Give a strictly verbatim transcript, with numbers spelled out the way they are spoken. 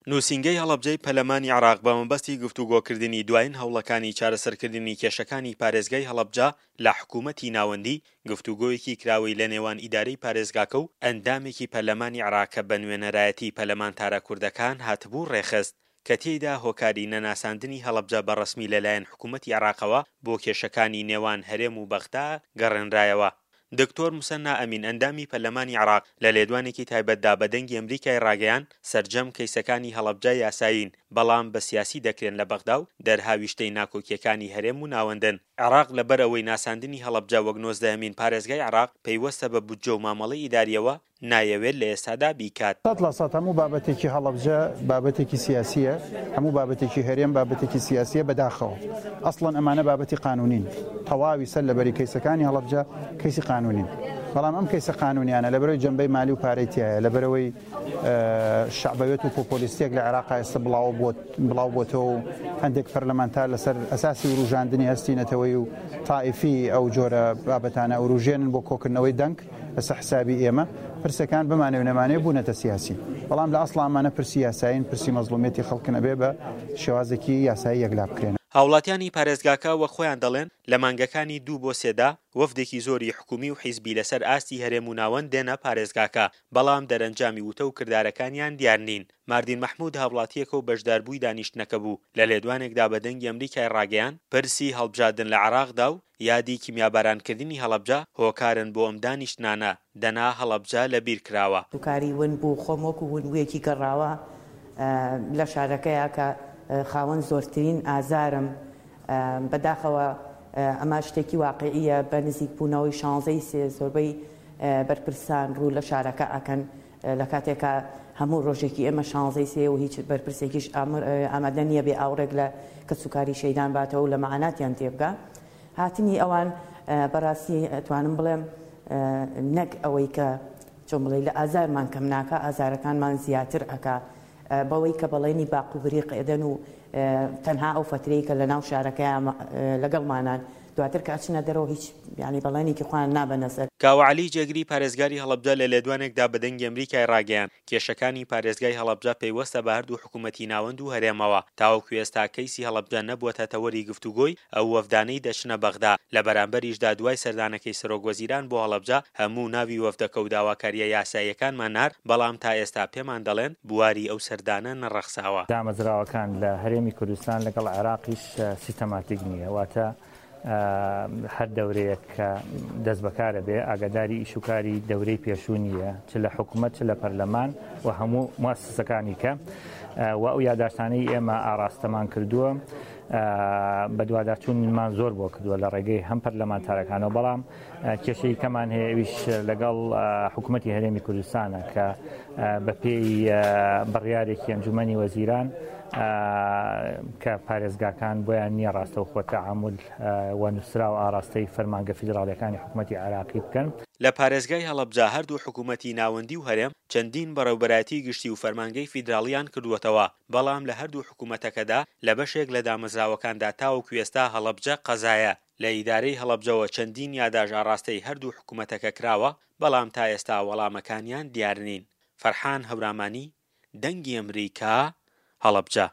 نووسینگەی هەڵەبجەی پەرلەمانی عێراق بە مەبەستی گفتوگۆکردنی دوایین هەوڵەکانی چارەسەرکردنی کێشەکانی پارێزگای هەڵەبجە لە حکوومەتی ناوەندی، گفتوگۆیەکی کراوەی لە نێوان ئیدارەی پارێزگاکە و ئەندامێکی پەرلەمانی عێراق کە بە نوێنەرایەتی پەرلەمانتارە کوردەکان هاتبوو ڕێکخست، کە تێیدا هۆکاری نەناساندنی هەڵەبجە بە ڕەسمی لەلایەن حکوومەتی عێراقەوە بۆ کێشەکانی نێوان هەرێم و بەغدا گەڕێنرایەوە. دکتۆر موسەننا ئەمین ئەندامی پەرلەمانی عێراق لە لێدوانێکی تایبەتدا بە دەنگی ئەمریکای ڕاگەیاند، سەرجەم کەیسەکانی هەڵەبجە یاسایین، بەڵام بە سیاسی دەکرێن لە بەغدا و دەرهاویشتەی ناکۆکییەکانی هەرێم و ناوەندن. عێراق لەبەر ئەوەی ناساندنی هەڵەبجە وەک نۆزدەهەمین پارێزگای عێراق پەیوەستە بە بودجە و مامەڵەی ئیدارییەوە، نایەوێت لە ئێستادا بیکات. سەد لە سەد هەموو بابەتێکی هەڵەبجە بابەتێکی سیاسییە، هەموو بابەتێکی هەرێم بابەتێکی سیاسییە، بەداخەوە ئەسڵەن ئەمانە بابەتی قانونین، تەواوی سەر لەبەری کەیسەکانی هەڵەبجە کەیسی قانونین، بەڵام ئەم کەیسە قانونیانە لەبەرەوەی جەنبەی مالی و پارەی تایە، لەبەرەوەی شەعبەوێت و پۆپۆلیستیەک لە عێراق ئێستا بڵاو بۆتەوە و هەندێک پەرلەمانتار لەسەر ئەساسی وروژاندنی هەستی نەتەوەی و تائیفی ئەو جۆرە بابەتانە وروژێنن بۆ کۆکردنەوەی دەنگ لەسەر حسابی ئێمە. پرسەکان بمانێ و نەمانێ بوونەتە سیاسی، بەڵام لە ئەسڵ ئەمانە پرسی یاسایین، پرسی مەزڵومیەتی خەڵکن، ئەبێ بە شێوازێکی یاسایی یەکلا بکرێن. هاوڵاتیانی پارێزگاکە وەک خۆیان دەڵێن لە مانگەکانی دوو بۆ سێدا وەفدێکی زۆری حکومی و حیزبی لەسەر ئاستی هەرێم و ناوەند دێنە پارێزگاکە، بەڵام دەرەنجامی وتە و کردارەکانیان دیار نین. ماردین مەحمود هاوڵاتییەکە و بەشداربووی دانیشتنەکە بوو، لە لێدوانێکدا بە دەنگی ئەمریکای ڕاگەیاند، پرسی هەڵبژاردن لە عێراقدا و یادی کیمیابارانکردنی هەڵەبجە هۆکارن بۆ ئەم دانیشتنانە، دەنا هەڵەبجە لەبیر کراوە. دوکاری ون بوو، خۆم وەکو ونبوویەکی گەڕاوە لە شارەکەیە کە خاوەن زۆرترین ئازارم. بەداخەوە ئەمە شتێکی واقعیە، بە نزیکبوونەوەی شانزەی سێ زۆربەی بەرپرسان ڕوو لە شارەکە ئەکەن، لە کاتێکا هەموو ڕۆژێکی ئێمە شانزەی سێ و هیچ بەرپرسێکیش ئامادە نییە بێ ئاوڕێک لە کەسوکاری شەیدان باتەوە و لە مەعاناتیان تێبگا. هاتنی ئەوان بەڕاستی ئەتوانم بڵێم نەک ئەوەی کە چۆن بڵێ لە ئازارمان کەم ناکە، ئازارەکانمان زیاتر ئەکا بەوەی کە بەڵێنی باق و بریق ئێدەن و تەنها ئەو فترەی کە لە ناو شارەکەیان لەگەڵمانان، دواتر کە ئەچنە دەرەوە هیچ یعنی بەڵێنێکی خۆیان نابەنە سەر. کاوە عەلی جێگری پارێزگاری هەڵەبجە لە لێدوانێکدا بە دەنگی ئەمریکای ڕاگەیاند، کێشەکانی پارێزگای هەڵەبجە پەیوەستە بە هەردوو حکوومەتی ناوەند و هەرێمەوە، تاوەکو ئێستا کەیسی هەڵەبجە نەبووەتە تەوەری گفتوگۆی ئەو وەفدانەی دەچنە بەغدا. لە بەرامبەریشدا دوای سەردانەکەی سەرۆک وەزیران بۆ هەڵەبجە هەموو ناوی وەفدەکە و داواکارییە یاساییەکانمان نارد، بەڵام تا ئێستا پێمان دەڵێن بواری ئەو سەردانە نەڕەخساوە. دامەزراوەکان لە هەرێمی کوردستان لەگەڵ عێراقیش سیستەماتیک نییە، واتە هەر دەورەیەک کە دەست بەکارە بێ ئاگاداری ئیشوکاری دەورەی پێشوو نییە، چ لە حکوومەت چ لە پەرلەمان و هەموو موسسەکانی کە و ئەو یاداشتانەی ئێمە ئاراستەمان کردووە بەدواداچوونمان زۆر بۆ کردووە لە ڕێگەی هەم پەرلەمانتارەکانەوە، بەڵام کێشەی کەمان هەیە ئەویش لەگەڵ حکوومەتی هەرێمی کوردستانە کە بەپێی بڕیارێکی ئەنجومەنی وەزیران کە پارێزگاکان بۆیان نییە ڕاستەوخۆ تەعامل و نووسرا و ئاراستەی فەرمانگە فیدراڵیەکانی حکوومەتی عێراقی بکەن. لە پارێزگای هەڵەبجە هەردوو حکوومەتی ناوەندی و هەرێم چەندین بەڕێوبەرایەتی گشتی و فەرمانگەی فیدراڵیان کردووەتەوە، بەڵام لە هەردوو حکوومەتەکەدا لە بەشێک لە دامەزراوەکاندا تاوەکو ئێستا هەڵەبجە قەزایە. لە ئیدارەی هەڵەبجەوە چەندین یاداش ئاراستەی هەردوو حکوومەتەکە کراوە، بەڵام تا ئێستا وەڵامەکانیان دیار نین. فەرحان هەورامانی، دەنگی ئەمریکا، هەڵەبجە.